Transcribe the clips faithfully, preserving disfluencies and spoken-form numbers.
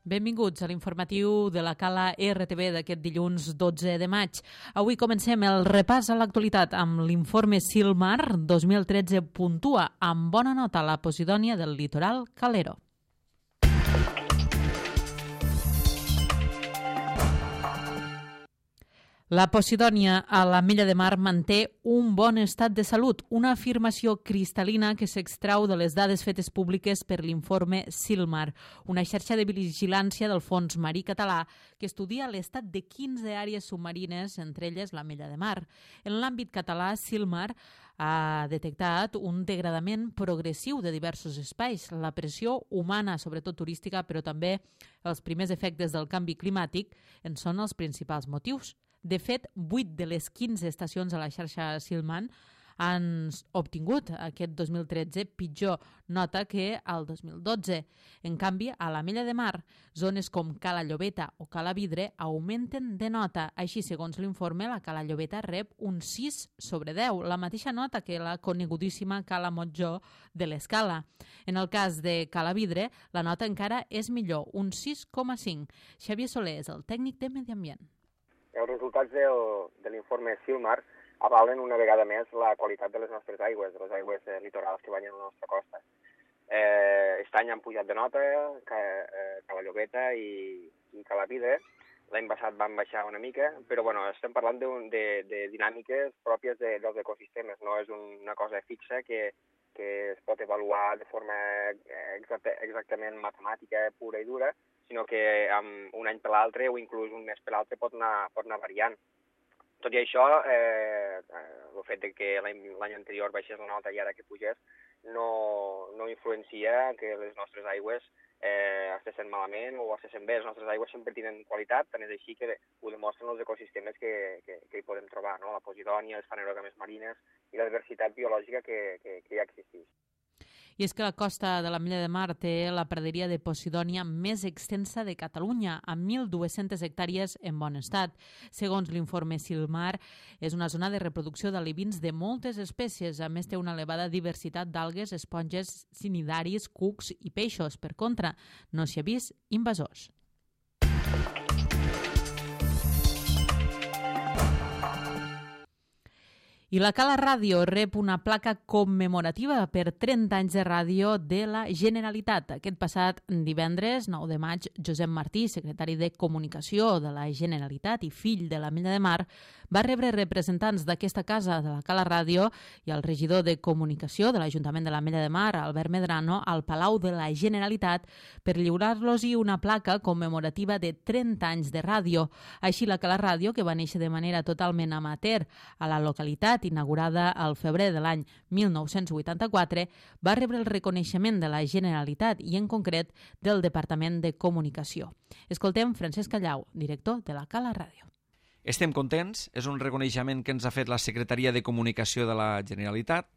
Benvinguts a l'informatiu de la Cala R T V d'aquest dilluns dotze de maig. Avui comencem el repàs a l'actualitat amb l'informe Silmar dos mil tretze puntua amb bona nota la Posidònia del litoral calero. La Posidònia a l'Ametlla de Mar manté un bon estat de salut, una afirmació cristal·lina que s'extrau de les dades fetes públiques per l'informe Silmar, una xarxa de vigilància del Fons Marí Català que estudia l'estat de quinze àrees submarines, entre elles l'Ametlla de Mar. En l'àmbit català, Silmar ha detectat un degradament progressiu de diversos espais, la pressió humana, sobretot turística, però també els primers efectes del canvi climàtic en són els principals motius. De fet, vuit de les quinze estacions a la xarxa Silmar han obtingut aquest dos mil tretze pitjor nota que el dos mil dotze. En canvi, a l'Ametlla de Mar, zones com Cala Llobeta o Cala Vidre augmenten de nota. Així, segons l'informe, la Cala Llobeta rep un sis sobre deu, la mateixa nota que la conegudíssima Cala Montjó de l'Escala. En el cas de Cala Vidre, la nota encara és millor, un sis coma cinc. Xavier Soler és el tècnic de Medi Ambient. Els resultats del, de l'informe Silmar avalen una vegada més la qualitat de les nostres aigües, de les aigües eh, litorals que banyen la nostra costa. Eh, aquest any han pujat de nota que, eh, Cala Llobeta i, i Cala Vidre. L'any passat van baixar una mica, però bueno, estem parlant de, de, de dinàmiques pròpies de, dels ecosistemes, no és un, una cosa fixa que, que es pot avaluar de forma exacta, exactament matemàtica, pura i dura, sinó que um, un any per l'altre o inclús un mes per l'altre pot anar, pot anar variant. Tot i això, eh, el fet de que l'any anterior baixés la nota i ara que pugés no, no influencia que les nostres aigües eh, estessin malament o estessin bé. Les nostres aigües sempre tenen qualitat, tant és així que ho demostren els ecosistemes que, que, que hi podem trobar, no? La Posidònia, les fanerogames marines i la diversitat biològica que, que, que ja existeix. I és que la costa de l'Ametlla de Mar té la praderia de Posidònia més extensa de Catalunya, amb mil dues-centes hectàrees en bon estat. Segons l'informe Silmar, és una zona de reproducció d'alevins de moltes espècies. A més, té una elevada diversitat d'algues, esponges, cnidaris, cucs i peixos. Per contra, no s'hi ha vist invasors. I la Cala Ràdio rep una placa commemorativa per trenta anys de ràdio de la Generalitat. Aquest passat divendres, nou de maig, Josep Martí, secretari de Comunicació de la Generalitat i fill de l'Ametlla de Mar, va rebre representants d'aquesta casa de la Cala Ràdio i el regidor de Comunicació de l'Ajuntament de l'Ametlla de Mar, Albert Medrano, al Palau de la Generalitat per lliurar-los-hi una placa commemorativa de trenta anys de ràdio. Així, la Cala Ràdio, que va néixer de manera totalment amateur a la localitat, inaugurada al febrer de l'any mil nou-cents vuitanta-quatre, va rebre el reconeixement de la Generalitat i, en concret, del Departament de Comunicació. Escoltem Francesc Callau, director de la Cala Ràdio. Estem contents, és un reconeixement que ens ha fet la Secretaria de Comunicació de la Generalitat.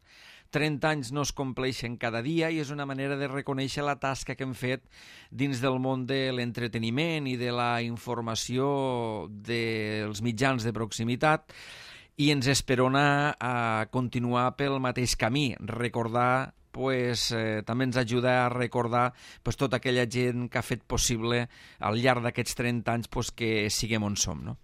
trenta anys no es compleixen cada dia i és una manera de reconèixer la tasca que hem fet dins del món de l'entreteniment i de la informació dels mitjans de proximitat, i ens esperona a continuar pel mateix camí, recordar, pues, eh, també ens ajuda a recordar pues, tota aquella gent que ha fet possible al llarg d'aquests trenta anys pues, que siguem on som, no?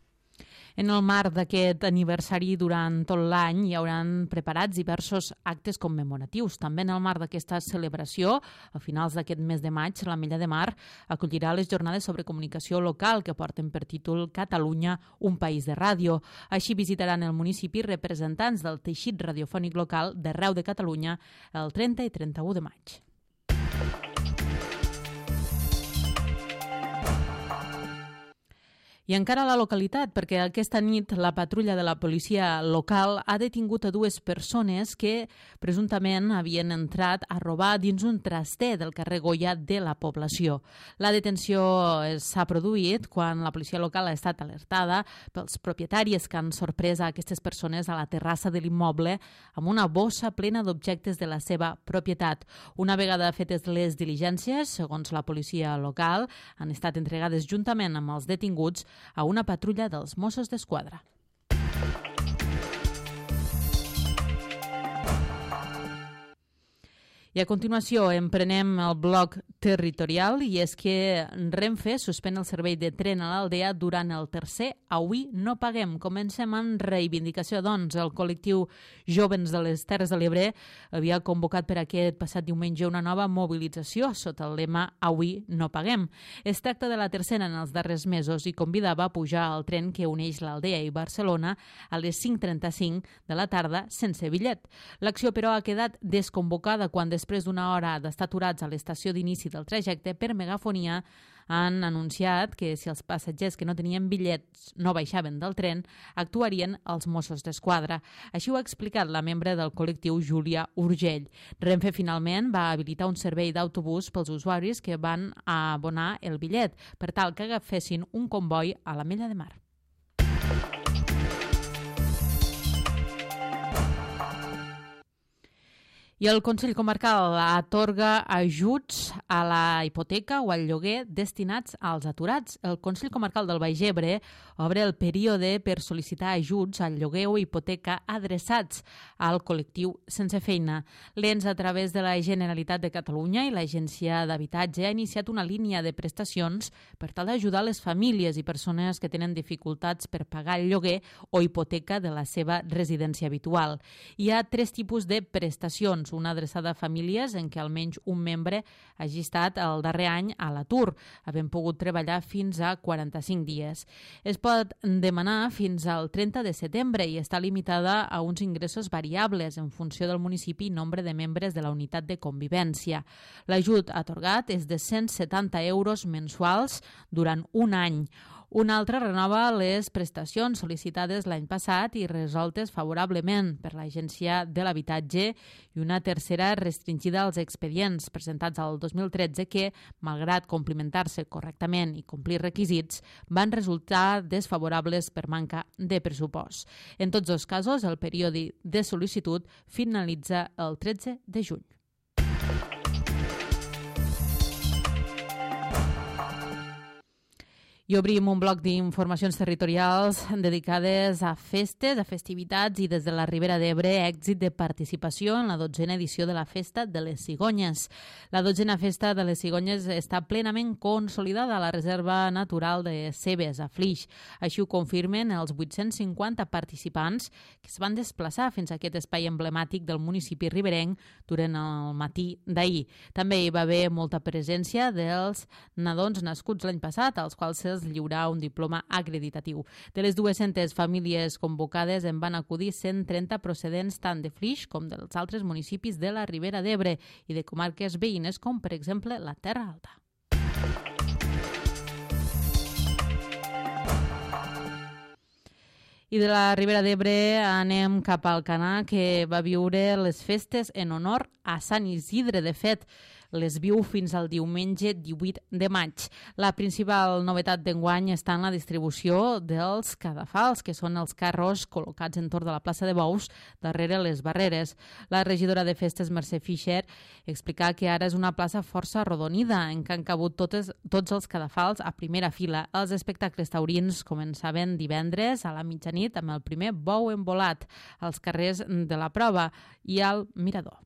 En el marc d'aquest aniversari, durant tot l'any, hi hauran preparats diversos actes commemoratius. També en el marc d'aquesta celebració, a finals d'aquest mes de maig, l'Ametlla de Mar acollirà les jornades sobre comunicació local que porten per títol Catalunya, un país de ràdio. Així visitaran el municipi representants del teixit radiofònic local d'arreu de Catalunya el trenta i trenta-u de maig. I encara a la localitat, perquè aquesta nit la patrulla de la policia local ha detingut a dues persones que presumptament havien entrat a robar dins un traster del carrer Goya de la població. La detenció s'ha produït quan la policia local ha estat alertada pels propietaris que han sorprès a aquestes persones a la terrassa de l'immoble amb una bossa plena d'objectes de la seva propietat. Una vegada fetes les diligències, segons la policia local, han estat entregades juntament amb els detinguts a una patrulla dels Mossos d'Esquadra. I a continuació emprenem el bloc territorial i és que Renfe suspèn el servei de tren a l'Aldea durant el tercer Avui no paguem. Comencem amb reivindicació, doncs. El col·lectiu Jóvens de les Terres de l'Ebre havia convocat per aquest passat diumenge una nova mobilització sota el lema Avui no paguem. Es tracta de la tercera en els darrers mesos i convidava a pujar al tren que uneix l'Aldea i Barcelona a les cinc trenta-cinc de la tarda sense bitllet. L'acció, però, ha quedat desconvocada quan després d'una hora d'estar aturats a l'estació d'inici del trajecte per megafonia han anunciat que si els passatgers que no tenien bitllets no baixaven del tren, actuarien els Mossos d'Esquadra. Així ho ha explicat la membre del col·lectiu Júlia Urgell. Renfe finalment va habilitar un servei d'autobús pels usuaris que van abonar el bitllet per tal que agafessin un comboi a l'Ametlla de Mar. I el Consell Comarcal atorga ajuts a la hipoteca o al lloguer destinats als aturats. El Consell Comarcal del Baix Ebre obre el període per sol·licitar ajuts al lloguer o hipoteca adreçats al col·lectiu sense feina. L'E N S, a través de la Generalitat de Catalunya i l'Agència d'Habitatge, ha iniciat una línia de prestacions per tal d'ajudar les famílies i persones que tenen dificultats per pagar el lloguer o hipoteca de la seva residència habitual. Hi ha tres tipus de prestacions: una adreçada a famílies en què almenys un membre hagi estat el darrer any a l'atur, havent pogut treballar fins a quaranta-cinc dies. Es pot demanar fins al trenta de setembre i està limitada a uns ingressos variables en funció del municipi i nombre de membres de la unitat de convivència. L'ajut atorgat és de cent setanta euros mensuals durant un any. Una altra renova les prestacions sol·licitades l'any passat i resoltes favorablement per l'Agència de l'Habitatge, i una tercera restringida als expedients presentats al dos mil tretze que, malgrat complimentar-se correctament i complir requisits, van resultar desfavorables per manca de pressupost. En tots dos casos, el període de sol·licitud finalitza el tretze de juny. I obrim un bloc d'informacions territorials dedicades a festes, a festivitats i des de la Ribera d'Ebre èxit de participació en la dotzena edició de la Festa de les Cigonyes. La dotzena Festa de les Cigonyes està plenament consolidada a la Reserva Natural de Cebes, a Flix. Així ho confirmen els vuit-cents cinquanta participants que es van desplaçar fins a aquest espai emblemàtic del municipi riberenc durant el matí d'ahir. També hi va haver molta presència dels nadons nascuts l'any passat, als quals se'ls lliurar un diploma acreditatiu. De les dues-centes famílies convocades en van acudir cent trenta procedents tant de Flix com dels altres municipis de la Ribera d'Ebre i de comarques veïnes com, per exemple, la Terra Alta. I de la Ribera d'Ebre anem cap al Canà, que va viure les festes en honor a Sant Isidre. De fet, les viu fins al diumenge divuit de maig. La principal novetat d'enguany està en la distribució dels cadafals, que són els carros col·locats entorn de la plaça de Bous, darrere les barreres. La regidora de festes, Mercè Fischer, explica que ara és una plaça força arrodonida, en què han cabut totes, tots els cadafals a primera fila. Els espectacles taurins començaven divendres a la mitjanit amb el primer bou embolat als carrers de la Prova i al Mirador.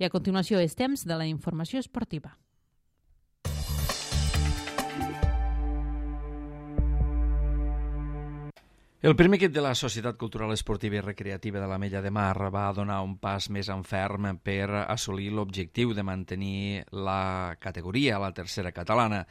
I a continuació és temps de la informació esportiva. El primer equip de la Societat Cultural Esportiva i Recreativa de l'Ametlla de Mar va donar un pas més en ferm per assolir l'objectiu de mantenir la categoria a la tercera catalana.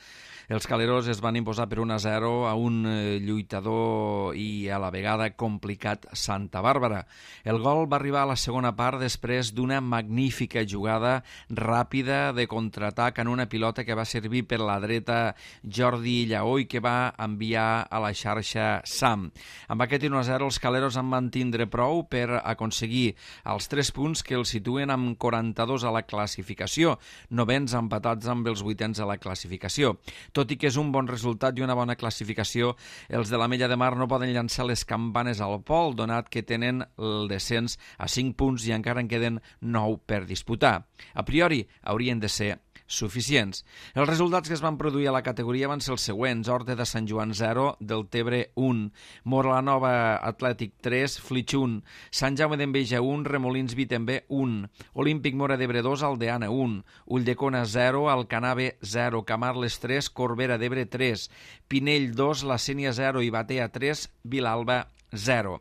Els caleros es van imposar per un a zero a un lluitador i a la vegada complicat Santa Bàrbara. El gol va arribar a la segona part després d'una magnífica jugada ràpida de contraatac en una pilota que va servir per la dreta Jordi Lleó i que va enviar a la xarxa Sam. Amb aquest un a zero els caleros en van tindre prou per aconseguir els tres punts que els situen amb quaranta-dos a la classificació, novens empatats amb els vuitens a la classificació. Tot i que és un bon resultat i una bona classificació, els de l'Ametlla de Mar no poden llançar les campanes al pol, donat que tenen el descens a cinc punts i encara en queden nou per disputar. A priori haurien de ser suficients. Els resultats que es van produir a la categoria van ser els següents: Horta de Sant Joan zero, del Tebre un, Mora Mola-la-Nova Atlètic tres, Flix un, Sant Jaume d'Enveja un, Remolins Vitembe un, Olímpic Móra d'Ebre dos, Aldeana un, Ulldecona zero, Alcanar B zero, Camarles tres, Corbera d'Ebre tres, Pinell dos, La Sénia zero i Batea tres, Vilalba zero.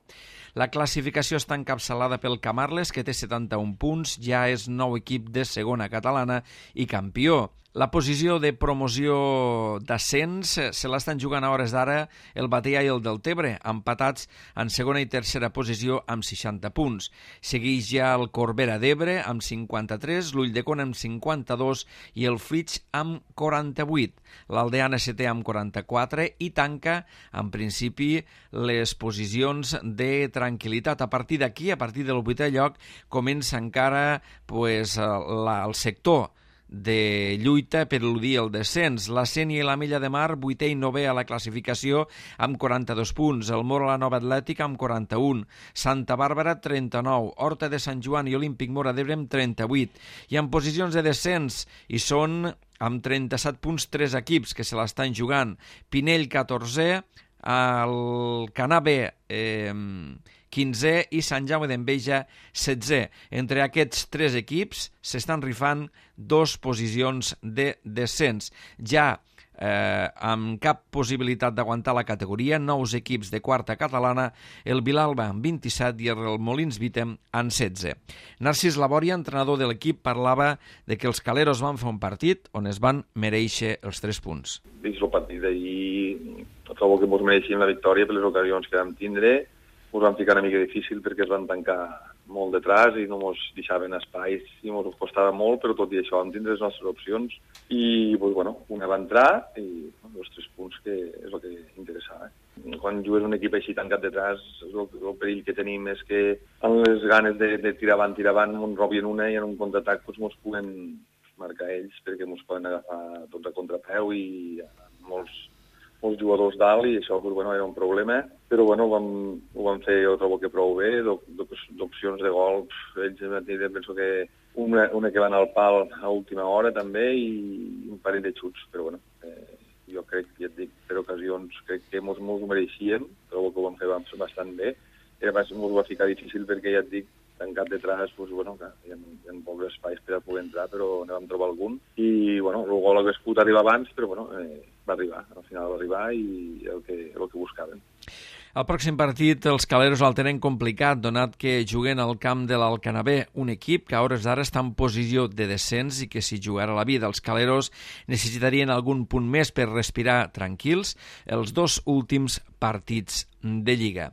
La classificació està encapçalada pel Camarles, que té setanta-un punts, ja és nou equip de segona catalana i campió. La posició de promoció d'ascens se l'estan jugant a hores d'ara el Batea i el Deltebre, empatats en segona i tercera posició amb seixanta punts. Segueix ja el Corbera d'Ebre amb cinquanta-tres, l'Ulldecona amb cinquanta-dos i el Flix amb quaranta-vuit. L'Aldeana setè amb quaranta-quatre i tanca, en principi, les posicions de tranquil·litat. A partir d'aquí, a partir del vuitè lloc, comença encara pues, la, el sector de lluita per eludir el descens. La Sénia i l'Ametlla de Mar, vuitè i novè a la classificació, amb quaranta-dos punts. El Móra-la-Nova Atlètic amb quaranta-un. Santa Bàrbara, trenta-nou. Horta de Sant Joan i Olímpic Móra d'Ebre amb trenta-vuit. I en posicions de descens hi són amb trenta-set punts tres equips que se l'estan jugant. Pinell, catorzè, el Canar B, eh, quinzè i Sant Jaume d'Enveja, setzè. Entre aquests tres equips s'estan rifant dos posicions de descens. Ja eh, amb cap possibilitat d'aguantar la categoria, nous equips de quarta catalana, el Vilalba amb vint-i-set i el Molins Vitem amb setze. Narcís Labòria, entrenador de l'equip, parlava de que els caleros van fer un partit on es van mereixer els tres punts. Dins el partit d'ahir trobo que ens mereixíem la victòria per les ocasions que vam tindre. Ens vam ficar una mica difícil perquè es van tancar molt detrás i no ens deixaven espais i ens costava molt, però tot i això vam tindre les nostres opcions i, pues, bueno, una va entrar i bueno, els tres punts que és el que interessava. Eh? Quan jugues un equip així tancat detrás, el, el perill que tenim és que amb les ganes de, de tirar avant, tirar avant, ens robien una i en un contraatac pues, ens puguen marcar ells perquè ens poden agafar tots a contrapeu i molts molts jugadors dalt i això pues, bueno, era un problema, però bueno, ho, vam, ho vam fer, jo trobo que prou bé, d'opcions de gol, ells penso que una, una que van al pal a última hora també i un parell de xuts, però bueno, eh, jo crec, ja et dic, per ocasions crec que ens ho mereixíem, trobo que ho vam fer bastant bé, era més, ens va ficar difícil perquè ja et dic, tancat detrás, pues, bueno, hi ha, hi ha pocs espais per a poder entrar, però ne vam trobar algun. I, bueno, el gol hagués pogut arribar abans, però, bueno, eh, va arribar, al final va arribar i el que, el que buscaven. El pròxim partit els caleros el tenen complicat, donat que juguen al camp de l'Alcanar B, un equip que a hores d'ara està en posició de descens i que si jugara la vida els caleros necessitarien algun punt més per respirar tranquils els dos últims partits de Lliga.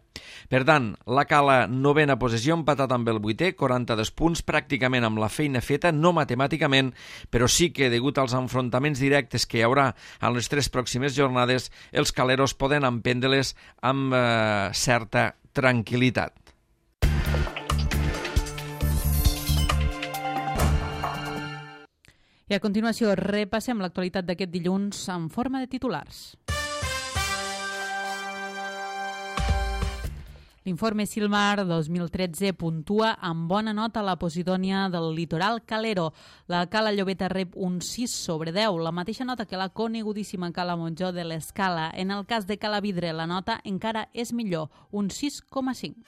Per tant, la Cala novena posició, empatat amb el vuitè, quaranta-dos punts, pràcticament amb la feina feta, no matemàticament, però sí que, degut als enfrontaments directes que hi haurà en les tres pròximes jornades, els caleros poden emprendre-les amb eh, certa tranquil·litat. I a continuació repassem l'actualitat d'aquest dilluns en forma de titulars. L'informe Silmar dos mil tretze puntua amb bona nota la Posidònia del litoral calero. La Cala Llobeta rep un sis sobre deu, la mateixa nota que la conegudíssima Cala Montjó de l'Escala. En el cas de Cala Vidre, la nota encara és millor, un sis coma cinc.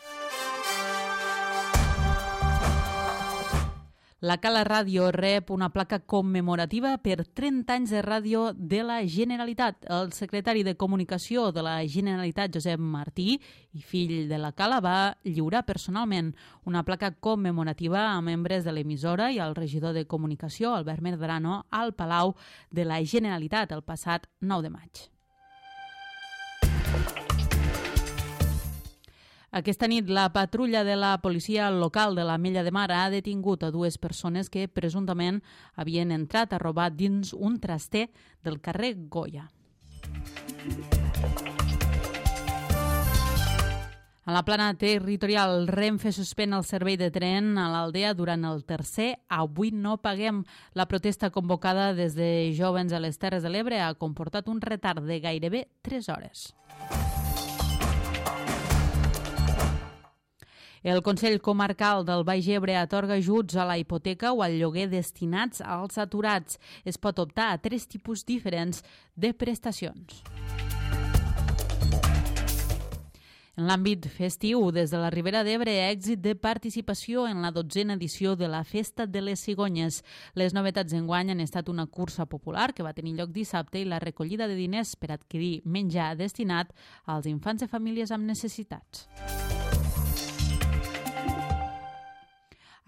La Cala Ràdio rep una placa commemorativa per trenta anys de ràdio de la Generalitat. El secretari de Comunicació de la Generalitat, Josep Martí, i fill de la Cala, va lliurar personalment una placa commemorativa a membres de l'emissora i al regidor de Comunicació, Albert Medrano, al Palau de la Generalitat el passat nou de maig. Aquesta nit, la patrulla de la policia local de l'Ametlla de Mar ha detingut a dues persones que presumptament havien entrat a robar dins un traster del carrer Goya. A la plana territorial, Renfe suspèn el servei de tren a l'Aldea durant el tercer Avui no paguem. La protesta convocada des de Jóvens a les Terres de l'Ebre ha comportat un retard de gairebé tres hores. El Consell Comarcal del Baix Ebre atorga ajuts a la hipoteca o al lloguer destinats als aturats. Es pot optar a tres tipus diferents de prestacions. En l'àmbit festiu, des de la Ribera d'Ebre, èxit de participació en la dotzena edició de la Festa de les Cigonyes. Les novetats d'enguany han estat una cursa popular que va tenir lloc dissabte i la recollida de diners per adquirir menjar destinat als infants de famílies amb necessitats.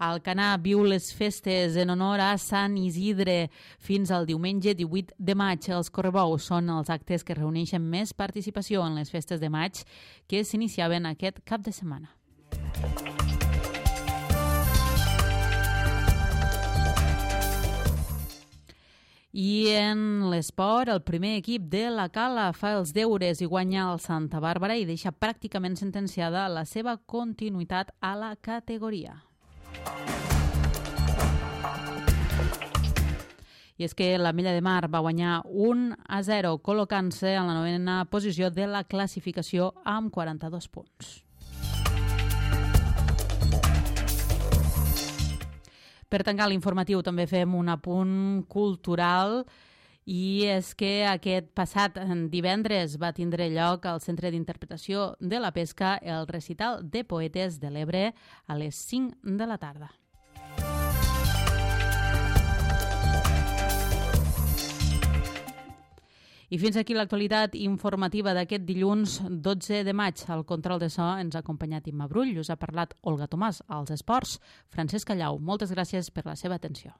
Alcanar viu les festes en honor a Sant Isidre fins al diumenge divuit de maig. Els correbous són els actes que reuneixen més participació en les festes de maig que s'iniciaven aquest cap de setmana. I en l'esport, el primer equip de la Cala fa els deures i guanya el Santa Bàrbara i deixa pràcticament sentenciada la seva continuïtat a la categoria. I és que l'Ametlla de Mar va guanyar un a zero, col·locant-se en la novena posició de la classificació amb quaranta-dos punts. Per tancar l'informatiu també fem un apunt cultural i és que aquest passat divendres va tindre lloc al Centre d'Interpretació de la Pesca el recital de Poetes de l'Ebre a les cinc de la tarda. I fins aquí l'actualitat informativa d'aquest dilluns dotze de maig. Al control de so ens ha acompanyat Imma Brull, us ha parlat Olga Tomàs als esports, Francesc Callau. Moltes gràcies per la seva atenció.